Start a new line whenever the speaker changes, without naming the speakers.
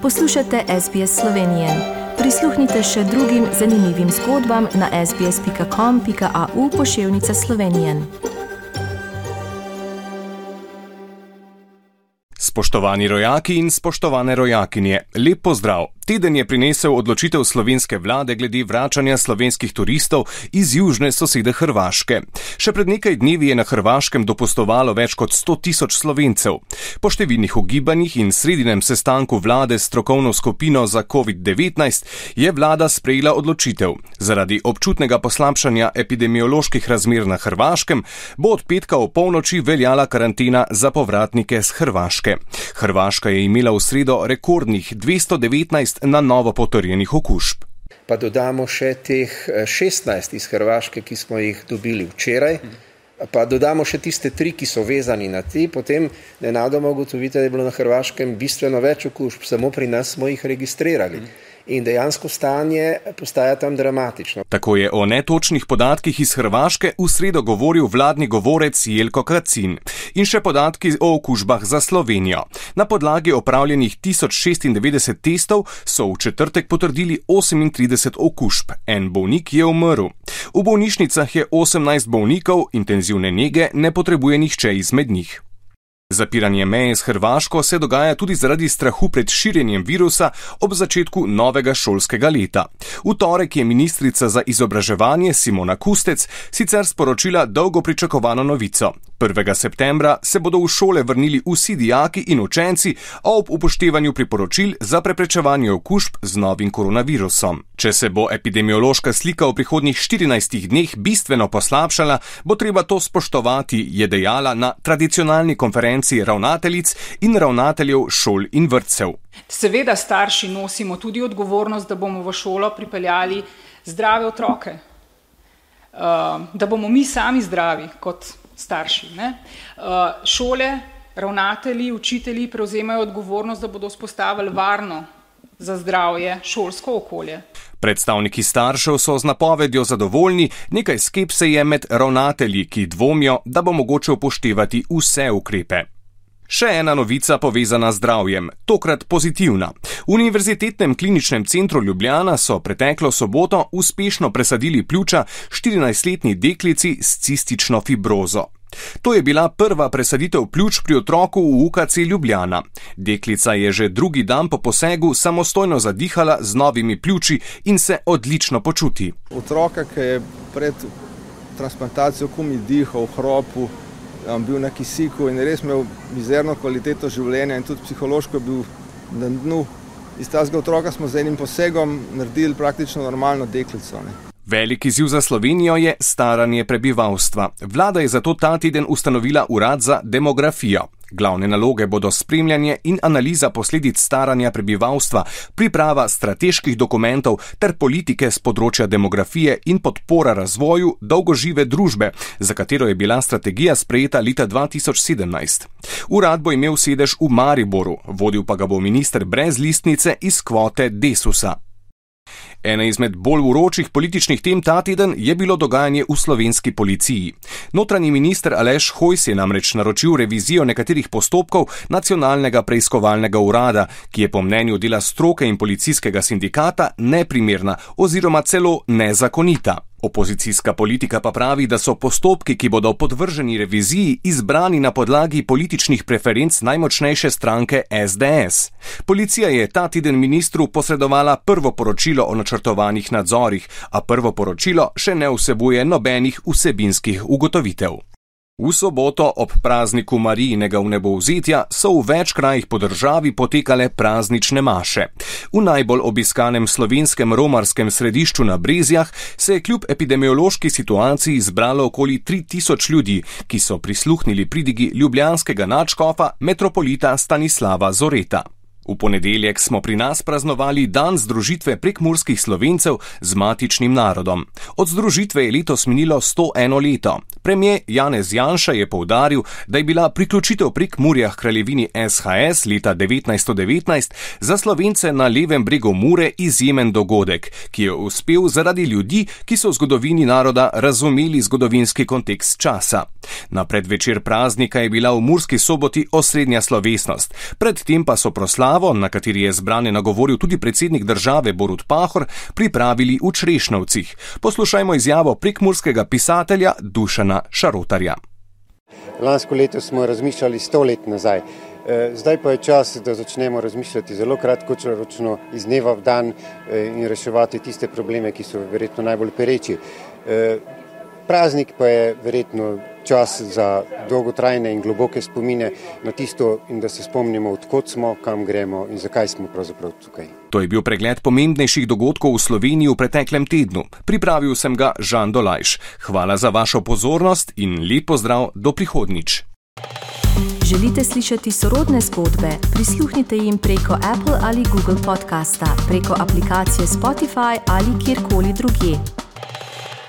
Poslušate SBS Slovenije. Prisluhnite še drugim zanimivim zgodbam na sbs.com.au/Slovenije.
Spoštovani rojaki in spoštovane rojakinje, lep pozdrav! Teden je prinesel odločitev slovenske vlade glede vračanja slovenskih turistov iz južne sosede Hrvaške. Še pred nekaj dnevi je na Hrvaškem dopustovalo več kot 100.000 Slovencev. Po številnih ugibanjih in sredinem sestanku vlade s strokovno skupino za COVID-19 je vlada sprejela odločitev. Zaradi občutnega poslabšanja epidemioloških razmer na Hrvaškem bo od petka v polnoči veljala karantena za povratnike z Hrvaške. Hrvaška je imela v sredo rekordnih 219 na novo potrjenih okužb.
Pa dodamo še teh 16 iz Hrvaške, ki smo jih dobili včeraj, pa dodamo še tiste 3, ki so vezani na ti, potem nenadoma ugotovite, da je bilo na Hrvaškem bistveno več okužb, samo pri nas smo jih registrirali. In dejansko stanje postaja tam dramatično.
Tako je o netočnih podatkih iz Hrvaške v sredo govoril vladni govorec Jelko Kacin. In še podatki o okužbah za Slovenijo. Na podlagi opravljenih 1096 testov so v četrtek potrdili 38 okužb. En bolnik je umrl. V bolnišnicah je 18 bolnikov, intenzivne nege ne potrebuje nihče izmed njih. Zapiranje meje s Hrvaško se dogaja tudi zaradi strahu pred širjenjem virusa ob začetku novega šolskega leta. V torek je ministrica za izobraževanje Simona Kustec sicer sporočila dolgo pričakovano novico. 1. septembra se bodo v šole vrnili vsi dijaki in učenci, a ob upoštevanju priporočil za preprečevanje okužb z novim koronavirusom. Če se bo epidemiološka slika v prihodnjih 14 dneh bistveno poslabšala, bo treba to spoštovati, je dejala na tradicionalni konferenci ravnateljic in ravnateljev šol in vrtcev.
Seveda starši nosimo tudi odgovornost, da bomo v šolo pripeljali zdrave otroke, da bomo mi sami zdravi kot starši. Šole, ravnatelji, učitelji prevzemajo odgovornost, da bodo vzpostavili varno za zdravje šolsko okolje.
Predstavniki staršev so z napovedjo zadovoljni, nekaj skepse je med ravnatelji, ki dvomijo, da bo mogoče upoštevati vse ukrepe. Še ena novica povezana z zdravjem, tokrat pozitivna. V Univerzitetnem kliničnem centru Ljubljana so preteklo soboto uspešno presadili pljuča 14-letni deklici s cistično fibrozo. To je bila prva presaditev pljuč pri otroku v UKC Ljubljana. Deklica je že drugi dan po posegu samostojno zadihala z novimi pljuči in se odlično počuti.
Otroka, ki je pred transplantacijo komaj dihal v hropu, bil na kisiku in res imel mizerno kvaliteto življenja in tudi psihološko bil na dnu. Iz tega otroka smo z enim posegom naredili praktično normalno deklico.
Velik izziv za Slovenijo je staranje prebivalstva. Vlada je zato ta teden ustanovila urad za demografijo. Glavne naloge bodo spremljanje in analiza posledic staranja prebivalstva, priprava strateških dokumentov ter politike z področja demografije in podpora razvoju dolgožive družbe, za katero je bila strategija sprejeta leta 2017. Urad bo imel sedež v Mariboru, vodil pa ga bo minister brez listnice iz kvote Desusa. Ena izmed bolj vročih političnih tem ta teden je bilo dogajanje v slovenski policiji. Notranji minister Aleš Hojs je namreč naročil revizijo nekaterih postopkov Nacionalnega preiskovalnega urada, ki je po mnenju dela stroke in policijskega sindikata neprimerna oziroma celo nezakonita. Opozicijska politika pa pravi, da so postopki, ki bodo podvrženi reviziji, izbrani na podlagi političnih preferenc najmočnejše stranke SDS. Policija je ta teden ministru posredovala prvo poročilo o načrtovanih nadzorih, a prvo poročilo še ne vsebuje nobenih vsebinskih ugotovitev. V soboto ob prazniku Marijinega vnebovzetja so v več krajih po državi potekale praznične maše. V najbolj obiskanem slovenskem romarskem središču na Brezjah se je kljub epidemiološki situaciji zbralo okoli 3000 ljudi, ki so prisluhnili pridigi ljubljanskega nadškofa metropolita Stanislava Zoreta. V ponedeljek smo pri nas praznovali dan združitve prekmurskih Slovencev z matičnim narodom. Od združitve je letos minilo 101 leto. Premier Janez Janša je poudaril, da je bila priključitev Prekmurja h kraljevini SHS leta 1919 za Slovence na levem bregu Mure izjemen dogodek, ki je uspel zaradi ljudi, ki so v zgodovini naroda razumeli zgodovinski kontekst časa. Na predvečer praznika je bila v Murski Soboti osrednja slovesnost, predtem pa so proslave izjavo, na kateri je zbrane nagovoril tudi predsednik države Borut Pahor, pripravili v Črešnjevcih. Poslušajmo izjavo prekmurskega pisatelja Dušana Šarotarja.
Lansko leto smo razmišljali 100 let nazaj. Zdaj pa je čas, da začnemo razmišljati zelo kratkoročno, iz dneva v dan in reševati tiste probleme, ki so verjetno najbolj pereči. Praznik pa je verjetno čas za dolgotrajne in globoke spomine na tisto in da se spomnimo, odkot smo, kam gremo in zakaj smo pravzaprav tukaj.
To je bil pregled pomembnejših dogodkov v Sloveniji v preteklem tednu. Pripravil sem ga Žan Dolajš. Hvala za vašo pozornost in lep pozdrav do prihodnjič.
Želite slišati sorodne zgodbe? Prisluhnite jim preko Apple ali Google podcasta, preko aplikacije Spotify ali kjerkoli drugje.